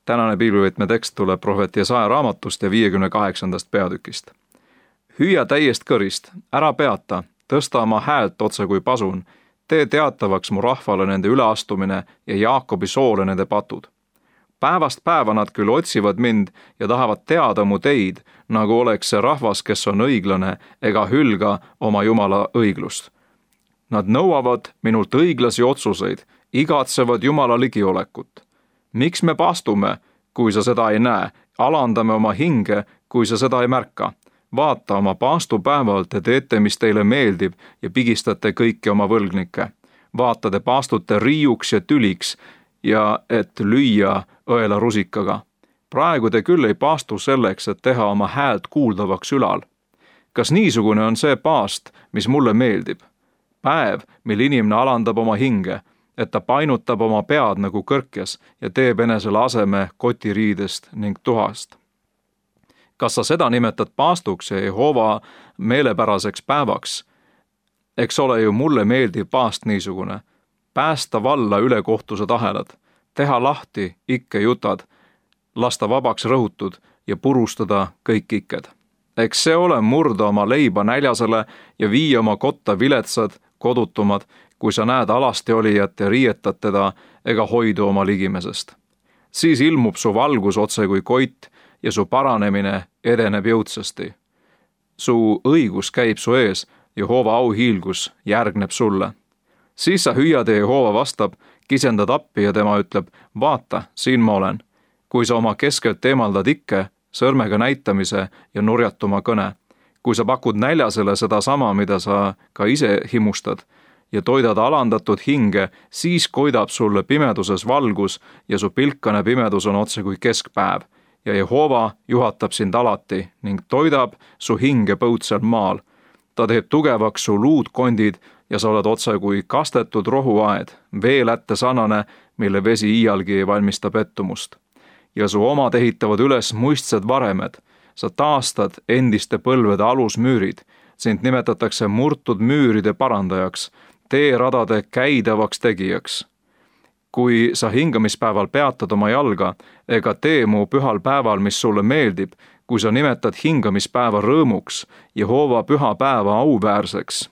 Tänane piiblivõtme tekst tuleb prohvet Jesaja raamatust ja 58. peatükist. Hüüa täiest kõrist, ära peata, tõsta oma häält otse kui pasun, tee teatavaks mu rahvale nende üleastumine ja Jaakobi soole nende patud. Päevast päeva nad küll otsivad mind ja tahavad teada mu teid, nagu oleks see rahvas, kes on õiglane ega hülga oma Jumala õiglust. Nad nõuavad minult õiglasi otsuseid, igatsevad Jumala ligiolekut. Miks me paastume, kui sa seda ei näe, alandame oma hinge, kui sa seda ei märka? Vaata, oma paastupäeval te teete, mis teile meeldib ja pigistate kõiki oma võlgnikke. Vaata, te paastute riiuks ja tüliks ja et lüüa õela rusikaga. Praegu te küll ei paastu selleks, et teha oma häält kuuldavaks ülal. Kas niisugune on see paast, mis mulle meeldib? Päev, mil inimene alandab oma hinge, et ta painutab oma pead nagu kõrkjas ja teeb enesele aseme kotiriidest ning tuhast. Kas sa seda nimetad paastuks ja Jehova meelepäraseks päevaks? Eks ole ju mulle meeldiv paast niisugune. Päästa valla ülekohtused ahelad, teha lahti ikke jutad, lasta vabaks rõhutud ja purustada kõik ikked. Eks see ole murda oma leiba näljasele ja viia oma kotta viletsad, kodutumad, kui sa näed alasti olijat ja riietad teda ega hoidu oma ligimesest. Siis ilmub su valgus otse kui koit ja su paranemine edeneb jõudsasti. Su õigus käib su ees, Jehova auhiilgus järgneb sulle. Siis sa hüüad ja Jehova vastab, kisendad appi ja tema ütleb, vaata, siin ma olen. Kui sa oma keskelt eemaldad ikke, sõrmega näitamise ja nurjatuma kõne, kui sa pakud näljasele seda sama, mida sa ka ise himustad, ja toidad alandatud hinge, siis koidab sulle pimeduses valgus ja su pilkane pimedus on otse kui keskpäev. Ja Jehova juhatab sind alati ning toidab su hinge põutsel maal. Ta teeb tugevaks su luudkondid ja sa oled otse kui kastetud rohuaed, veelätte sarnane, mille vesi iialgi ei valmista pettumust. Ja su omad ehitavad üles muistsed varemed. Sa taastad endiste põlvede alusmüürid. Sind nimetatakse murtud müüride parandajaks, teeradade käidavaks tegijaks. Kui sa hingamispäeval peatad oma jalga ega tee mu pühal päeval, mis sulle meeldib, kui sa nimetad hingamispäeva rõõmuks, Jehova püha päeva auväärseks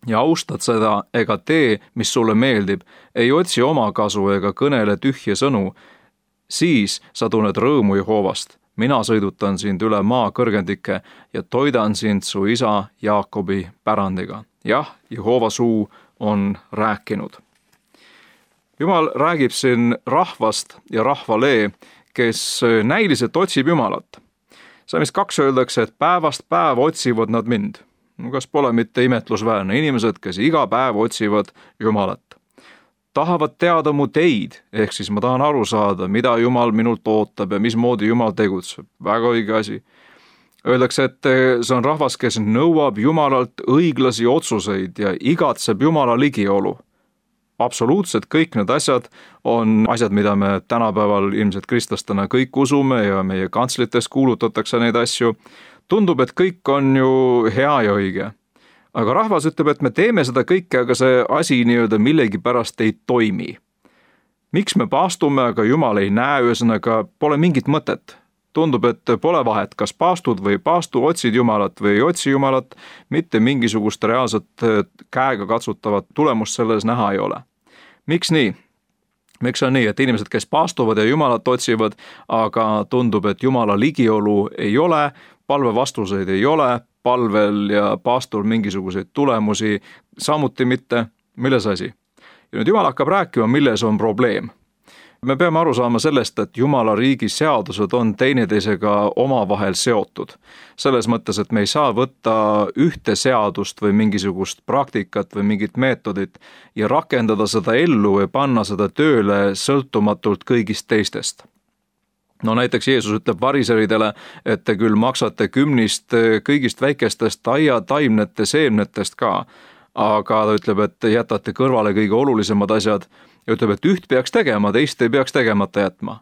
ja austad seda ega tee, mis sulle meeldib, ei otsi omakasu ega kõnele tühje sõnu, siis sa tunned rõõmu Jehovast. Mina sõidutan sind üle maa kõrgendike ja toidan sind su isa Jaakobi pärandiga. Jah, Jehova suu on rääkinud. Jumal räägib siin rahvast ja rahvalee, kes näiliselt otsib Jumalat. Salmis 2 öeldakse, et päevast päeva otsivad nad mind. Kas pole mitte imetlusväärne? Inimesed, kes iga päev otsivad Jumalat. Tahavad teada mu teid, ehk siis ma tahan aru saada, mida Jumal minult ootab ja mismoodi Jumal tegutseb. Väga õige asi. Öeldakse, et see on rahvas, kes nõuab Jumalalt õiglasi otsuseid ja igatseb Jumala ligiolu. Absoluutselt kõik need asjad on asjad, mida me tänapäeval ilmselt kristlastena kõik usume ja meie kantslites kuulutatakse neid asju. Tundub, et kõik on ju hea ja õige. Aga rahvas ütleb, et me teeme seda kõike, aga see asi nii-öelda millegipärast ei toimi. Miks me paastume, aga Jumal ei näe, ühesõnaga pole mingit mõtet. Tundub, et pole vahet, kas paastud või paastu, otsid Jumalat või ei otsi Jumalat, mitte mingisugust reaalset käega katsutavat tulemust selles näha ei ole. Miks nii? Miks on nii, et inimesed, kes paastuvad ja Jumalat otsivad, aga tundub, et Jumala ligiolu ei ole, palvevastuseid ei ole, palvel ja paastul mingisuguseid tulemusi, samuti mitte, milles asi? Ja nüüd Jumal hakkab rääkima, milles on probleem. Me peame aru saama sellest, et Jumala riigi seadused on teineteisega omavahel seotud. Selles mõttes, et me ei saa võtta ühte seadust või mingisugust praktikat või mingit meetodit ja rakendada seda ellu või panna seda tööle sõltumatult kõigist teistest. No näiteks Jeesus ütleb variseridele, et te küll maksate kümnist kõigist väikestest aiataimnete seemnetest ka, aga ta ütleb, et jätate kõrvale kõige olulisemad asjad ja ütleb, et üht peaks tegema, teist ei peaks tegemata jätma.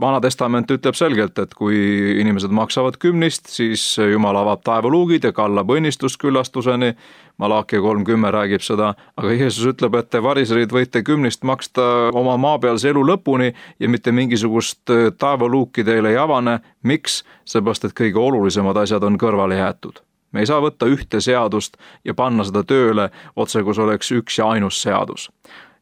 Vana testament ütleb selgelt, et kui inimesed maksavad 10, siis Jumal avab taevaluugid ja kallab õnnistust küllastuseni. Malachi 3:10 räägib seda, aga Jeesus ütleb, et te variserid võite 10 maksta oma maapealse elu lõpuni ja mitte mingisugust taevaluuki teile ei avane. Miks? Seepärast, et kõige olulisemad asjad on kõrvale jäetud. Me ei saa võtta ühte seadust ja panna seda tööle otse, kus oleks üks ja ainus seadus.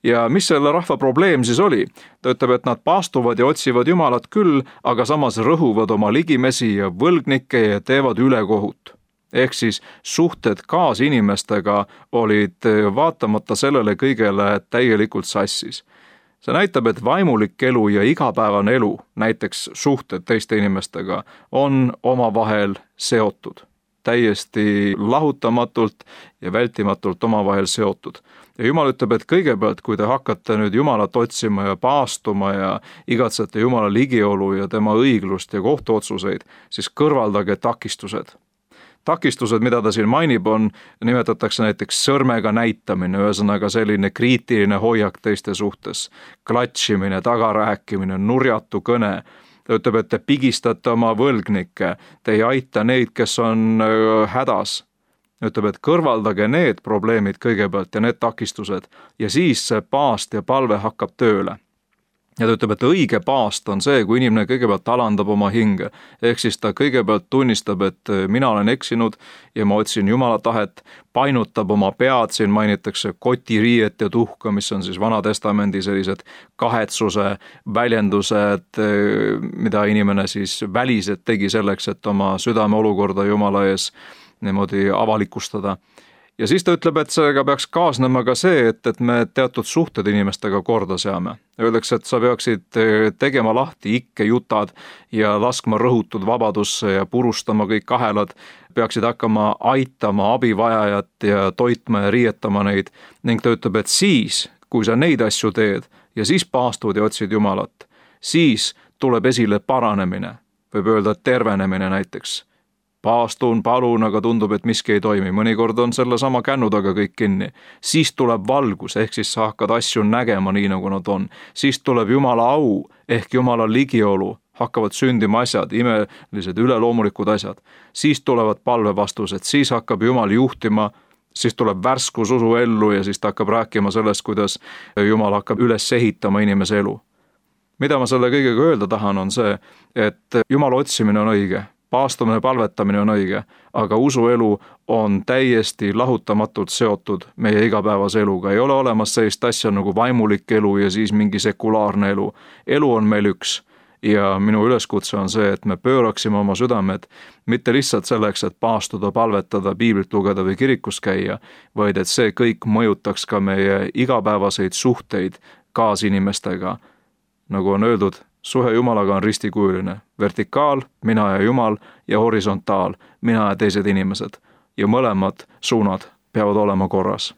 Ja mis selle rahva probleem siis oli? Ta ütleb, et nad paastuvad ja otsivad Jumalat küll, aga samas rõhuvad oma ligimesi ja võlgnikke ja teevad ülekohut. Ehk siis suhted kaasinimestega olid vaatamata sellele kõigele täielikult sassis. See näitab, et vaimulik elu ja igapäevane elu, näiteks suhted teiste inimestega, on omavahel seotud. Täiesti lahutamatult ja vältimatult omavahel seotud. Ja Jumal ütleb, et kõigepealt, kui te hakkate nüüd Jumalat otsima ja paastuma ja igatsete Jumala ligiolu ja tema õiglust ja kohtuotsuseid, siis kõrvaldage takistused. Takistused, mida ta siin mainib, nimetatakse näiteks sõrmega näitamine, ühesõnaga selline kriitiline hoiak teiste suhtes, klatšimine, tagarääkimine, nurjatu kõne. Ta ütleb, et te pigistate oma võlgnikke, te ei aita neid, kes on hädas. Ütleb, et kõrvaldage need probleemid kõigepealt ja need takistused ja siis see paast ja palve hakkab tööle. Ja ta ütleb, et õige paast on see, kui inimene kõigepealt alandab oma hinge. Ehk siis ta kõigepealt tunnistab, et mina olen eksinud ja ma otsin Jumala tahet, painutab oma pead, siin mainitakse kotiriiet ja tuhka, mis on siis Vana Testamendi sellised kahetsuse väljendused, mida inimene siis väliselt tegi selleks, et oma südame olukorda Jumala ees niimoodi avalikustada. Ja siis ta ütleb, et sellega peaks kaasnema ka see, et me teatud suhted inimestega korda seame. Öeldakse, et sa peaksid tegema lahti ikkejutad ja laskma rõhutud vabadusse ja purustama kõik ahelad, peaksid hakkama aitama abivajajat ja toitma ja riietama neid. Ning ta ütleb, et siis, kui sa neid asju teed ja siis paastud ja otsid Jumalat, siis tuleb esile paranemine, võib öelda tervenemine näiteks. Paastun, palun, aga tundub, et miski ei toimi. Mõnikord on selle sama kännu taga kõik kinni. Siis tuleb valgus, ehk siis sa hakkad asju nägema nii, nagu nad on. Siis tuleb Jumala au, ehk Jumala ligiolu. Hakkavad sündima asjad, imelised, üleloomulikud asjad. Siis tulevad palvevastused, siis hakkab Jumal juhtima, siis tuleb värskus usu ellu ja siis ta hakkab rääkima sellest, kuidas Jumal hakkab üles ehitama inimese elu. Mida ma selle kõigega öelda tahan, on see, et Jumala otsimine on õige. Paastumine ja palvetamine on õige, aga usuelu on täiesti lahutamatult seotud meie igapäevase eluga. Ei ole olemas sellist asja nagu vaimulik elu ja siis mingi sekulaarne elu. Elu on meil üks ja minu üleskutse on see, et me pööraksime oma südamed mitte lihtsalt selleks, et paastuda, palvetada, piiblit lugeda või kirikus käia, vaid et see kõik mõjutaks ka meie igapäevaseid suhteid kaasinimestega. Nagu on öeldud, suhe Jumalaga on ristikujuline, vertikaal, mina ja Jumal, ja horisontaal, mina ja teised inimesed. Ja mõlemad suunad peavad olema korras.